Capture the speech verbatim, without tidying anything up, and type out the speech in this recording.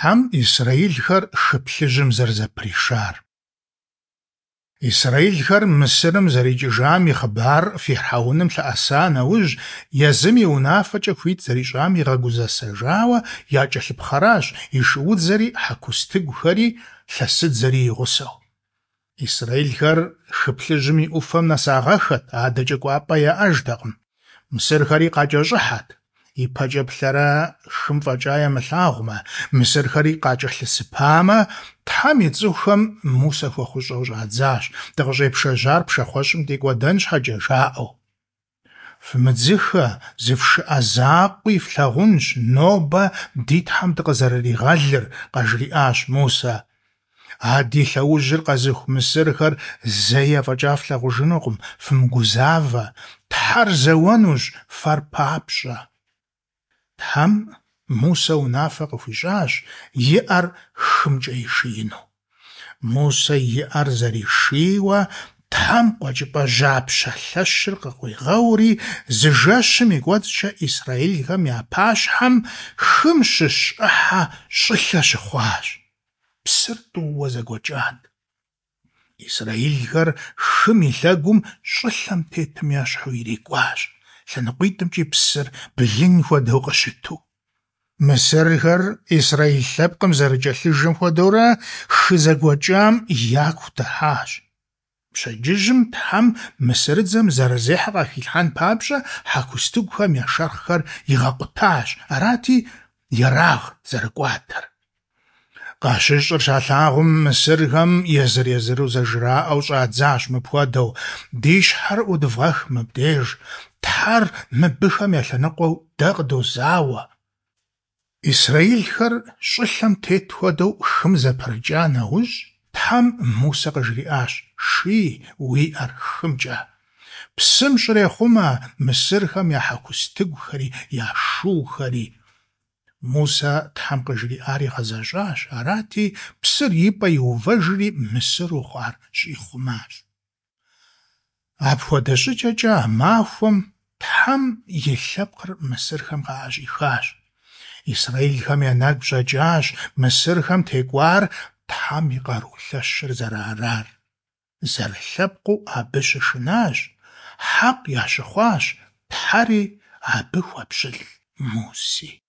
Тхьэм исрэилхэр Хы Плъыжьым зэрызэпришар. Исрэилхэр Мысырым зэрикӏыжам и хъыбар фирхьэуным лъэӏэса нэужь, езым и унафэкӏэ хуит зэрищӏам игъэгузэсэжауэ якӏэлъыпхъэращ и шуудзэри, хьэкустыгухэри, лъэсыдзэри и гъусэу. Исрэилхэр Хы Плъыжьым и ӏуфэм нэсагъэххэт, адэкӏэ кӏуапӏэ яӏэжтэкъым. Мысырхэри къакӏэщӏыхьэт. Ипэкӏэ плъэрэ хым фӏэкӏа ямылъагъумэ, мысырхэри къакӏэлъысыпамэ, Тхьэм и цӏыхухэм Мусэ хуэхъущӏэу щӏадзащ, дыкъыщӏепшэжьар пшахъуэщӏым дикӏуэдэн щхьэкӏэ, жаӏэу. Фымыдзыхэ, зыфшыӏэ закъуи флъагъунщ нобэ ди Тхьэм дыкъызэрыригъэлыр, къажриӏащ Мусэ. А ди лъэужьыр къэзыху мысырхэр зэи афӏэкӏа флъагъужынукъым, фымыгузавэ, Тхьэр зэуэнущ фэр папщӏэ. Тхьэм Мусэ унафэ къыхуищӏащ и ӏэр хымкӏэ ишиину. Мусэ и ӏэр зэришийуэ, Тхьэм къуэкӏыпӏэ жьапщэ лъэщыр къыкъуигъэури, зы жэщым и кӏуэцӏкӏэ исрэилхэм я пащхьэм хым щыщ ӏыхьэ щӏылъэ щыхъуащ. Псыр тӏууэ зэгуэкӏат. Исрэилхэр хым и лъэгум щӏылъэм тетым ещхьу ирикӏуащ, лъэныкъуитӏымкӏи псыр блын хуэдэу къыщыту. Мысырхэр исрэил лъэпкъым зэрыкӏэлъыжэм хуэдэурэ хы зэгуэкӏам яку дыхьащ. Пщэдджыжьым Тхьэм мысырыдзэм зэрызехьэ къахилъхьэн папщӏэ хьэкустыгухэм я шэрхъхэр игъэкъутащ, арати, ерагът зэрыкӏуатэр. Къащыщӏыр щалъагъум, мысырхэм езыр-езыру зэжраӏэу щӏадзащ мыпхуэдэу: «Ди щхьэр ӏудвгъэх мыбдеж, Тхьэр мыбыхэм я лъэныкъуэу дэ къыдозауэ». Исрэилхэр щӏылъэм тет хуэдэу хым зэпрыкӏа нэужь, Тхьэм Мусэ къыжриӏащ: «Ший уи ӏэр хымкӏэ. Псым щӏрехъумэ мысырхэм я хьэкустыгухэри, я шухэри». Мусэ Тхьэм къыжриӏар игъэзэщӏащ, арати, псыр и пӏэ иувэжри мысыру хъуар щӏихъумащ. Апхуэдэ щӏыкӏэкӏэ а махуэм Тхьэм и лъэпкъыр мысырхэм къаӏэщӏихащ. Исрэилхэм я нэгу щӏэкӏащ мысырхэм текӏуар Тхьэм и къару лъэщыр зэрыарар. Зэрылъэпкъыу абы щышынащ, хьэкъ ящыхъуащ Тхьэри абы хуэпщылӏ Муси.